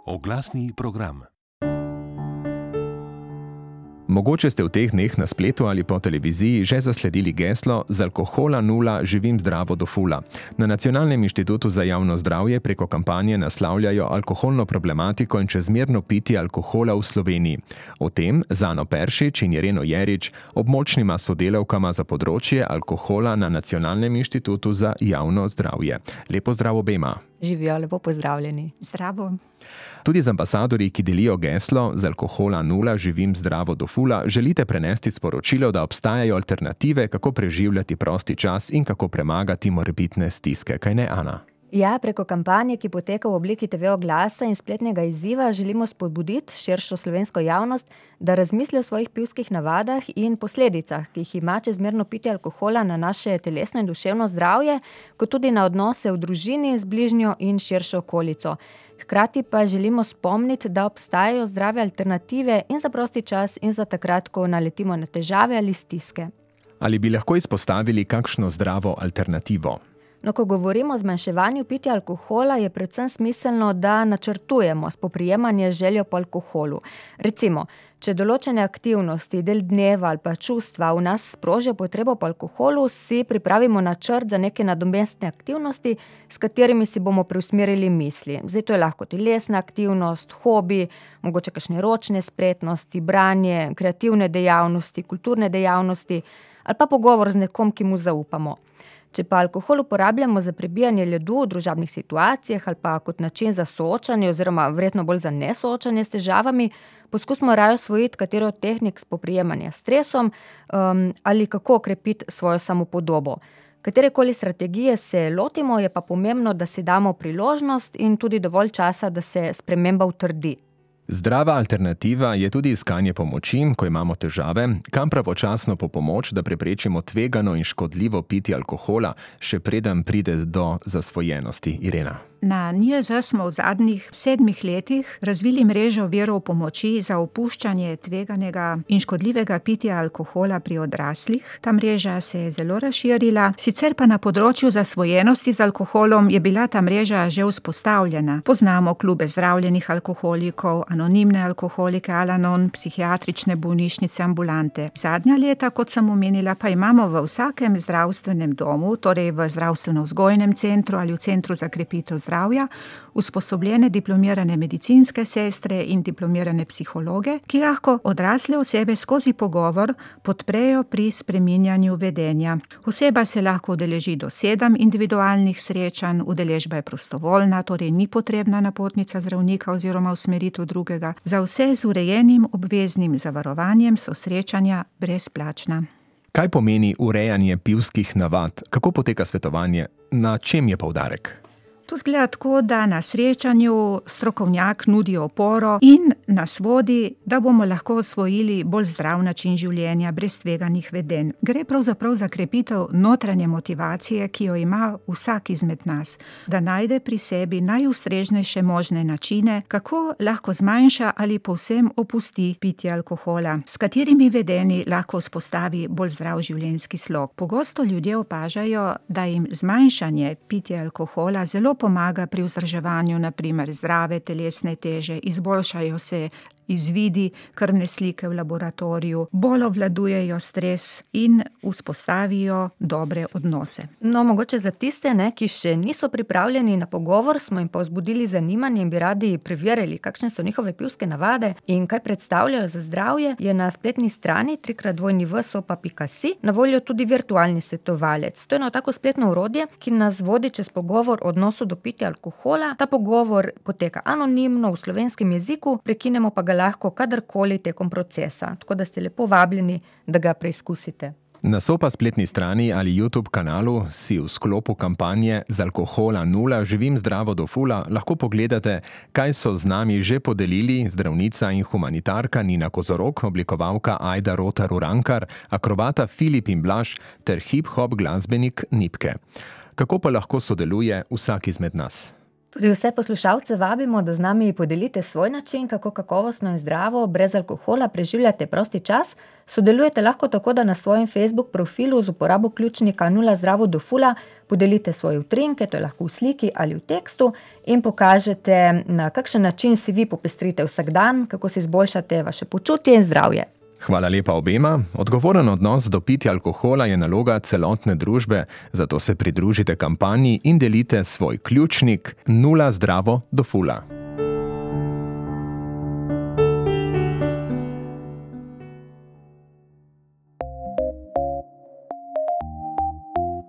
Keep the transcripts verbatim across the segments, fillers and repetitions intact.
Oglasni program. Mogoče ste v teh dneh na spletu ali po televiziji že zasledili geslo Z alkohola nula živim zdravo do fula. Na Nacionalnem inštitutu za javno zdravje preko kampanje naslavljajo alkoholno problematiko in čezmerno pitje alkohola v Sloveniji. O tem z Ano Peršič in Ireno Jerič, območnima sodelavkama za področje alkohola na Nacionalnem inštitutu za javno zdravje. Lepo zdrav obema. Živijo, lepo pozdravljeni. Zdravo. Tudi z ambasadorji, ki delijo geslo Z alkohola nula živim zdravo do fula, želite prenesti sporočilo, da obstajajo alternative, kako preživljati prosti čas in kako premagati morebitne stiske. Kaj ne, Ana? Ja, preko kampanje, ki poteka v obliki te ve oglasa in spletnega izziva, želimo spodbuditi širšo slovensko javnost, da razmisli o svojih pivskih navadah in posledicah, ki jih ima čezmerno pitje alkohola na naše telesno in duševno zdravje, kot tudi na odnose v družini z bližnjo in širšo okolico. Hkrati pa želimo spomniti, da obstajajo zdrave alternative in za prosti čas in za takrat, ko naletimo na težave ali stiske. Ali bi lahko izpostavili kakšno zdravo alternativo? No, ko govorimo o zmanjševanju pitja alkohola, je predvsem smiselno, da načrtujemo spoprijemanje z željo po alkoholu. Recimo, če določene aktivnosti, del dneva ali pa čustva v nas sprožijo potrebo po alkoholu, si pripravimo načrt za neke nadomestne aktivnosti, s katerimi si bomo preusmerili misli. Zdaj to je lahko telesna aktivnost, hobi, mogoče kakšne ročne spretnosti, branje, kreativne dejavnosti, kulturne dejavnosti ali pa pogovor z nekom, ki mu zaupamo. Če pa alkohol uporabljamo za prebijanje ledu v družabnih situacijah ali pa kot način za soočanje oziroma verjetno bolj za nesoočanje s težavami, poskusimo raje osvojiti katero od tehnik spoprijemanja s stresom um, ali kako okrepiti svojo samopodobo. Katerekoli strategije se lotimo, je pa pomembno, da si damo priložnost in tudi dovolj časa, da se sprememba utrdi. Zdrava alternativa je tudi iskanje pomoči, ko imamo težave, kam pravočasno po pomoč, da preprečimo tvegano in škodljivo pitje alkohola, še preden pride do zasvojenosti. Irena. Na N I J Z smo v zadnjih sedmih letih razvili mrežo virov pomoči za opuščanje tveganega in škodljivega pitja alkohola pri odraslih. Ta mreža se je zelo razširila, sicer pa na področju zasvojenosti z alkoholom je bila ta mreža že vzpostavljena. Poznamo klube zdravljenih alkoholikov, anonimne alkoholike Al-Anon, psihiatrične bolnišnice, ambulante. Zadnja leta, kot sem omenila, pa imamo v vsakem zdravstvenem domu, torej v zdravstveno-vzgojnem centru ali v centru za krepitev zdravja, usposobljene diplomirane medicinske sestre in diplomirane psihologe, ki lahko odrasle osebe skozi pogovor podprejo pri spreminjanju vedenja. Oseba se lahko udeleži do sedem individualnih srečanj, udeležba je prostovoljna, torej ni potrebna napotnica zdravnika oziroma usmeritev drugega. Za vse z urejenim obveznim zavarovanjem so srečanja brezplačna. Kaj pomeni urejanje pivskih navad? Kako poteka svetovanje? Na čem je poudarek? To zgleda tako, da na srečanju strokovnjak nudi oporo in nas vodi, da bomo lahko osvojili bolj zdrav način življenja brez tveganih vedenj. Gre pravzaprav za krepitev notranje motivacije, ki jo ima vsak izmed nas, da najde pri sebi najustreznejše možne načine, kako lahko zmanjša ali povsem opusti pitje alkohola, s katerimi vedenji lahko vzpostavi bolj zdrav življenjski slog. Pogosto ljudje opažajo, da jim zmanjšanje pitja alkohola zelo pomaga pri vzdrževanju, na primer zdrave telesne teže, izboljšajo se izvidi krvne slike v laboratoriju, bolj obvladujejo stres in vzpostavijo dobre odnose. No, mogoče za tiste, ne, ki še niso pripravljeni na pogovor, smo jim pa vzbudili zanimanje in bi radi preverili, kakšne so njihove pivske navade in kaj predstavljajo za zdravje, je na spletni strani trikrat dvojni v sopa pika si na voljo tudi virtualni svetovalec. To je eno tako spletno orodje, ki nas vodi čez pogovor o odnosu do pitja alkohola. Ta pogovor poteka anonimno v slovenskem jeziku, prekinemo pa ga lahko kadarkoli tekom procesa, tako da ste lepo vabljeni, da ga preizkusite. Na Sopa spletni strani ali YouTube kanalu si v sklopu kampanje Z alkohola nula živim zdravo do fula lahko pogledate, kaj so z nami že podelili zdravnica in humanitarka Nina Kozorog, oblikovalka Ajda Rotar-Urankar, akrobata Filip in Blaž ter hip-hop glasbenik Nipke. Kako pa lahko sodeluje vsak izmed nas? Tudi vse poslušalce vabimo, da z nami podelite svoj način, kako kakovostno in zdravo, brez alkohola preživljate prosti čas. Sodelujete lahko tako, da na svojem Facebook profilu z uporabo ključnika Nula zdravo do fula podelite svoje utrinke, to je lahko v sliki ali v tekstu, in pokažete, na kakšen način si vi popestrite vsak dan, kako si izboljšate vaše počutje in zdravje. Hvala lepa obema. Odgovoren odnos do pitja alkohola je naloga celotne družbe, zato se pridružite kampanji in delite svoj ključnik Nula zdravo do fula.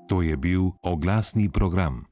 To je bil oglasni program.